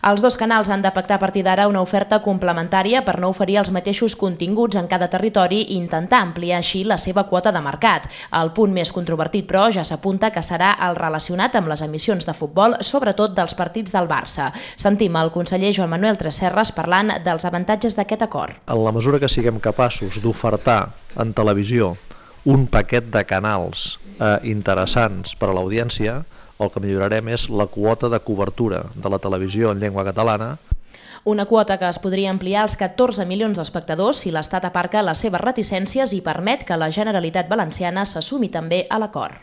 Els dos canals han de pactar a partir d'ara una oferta complementària per no oferir els mateixos continguts en cada territori i intentar ampliar així la seva quota de mercat. El punt més controvertit, però, ja s'apunta que serà el relacionat amb les emissions de futbol, sobretot dels partits del Barça. Sentim el conseller Joan Manuel Tresserras parlant dels avantatges d'aquest acord. En la mesura que siguem capaços d'ofertar en televisió un paquet de canals interessants per a l'audiència, el que millorarem és la quota de cobertura de la televisió en llengua catalana. Una quota que es podria ampliar als 14 milions d'espectadors si l'Estat aparca les seves reticències i permet que la Generalitat Valenciana s'assumi també a l'acord.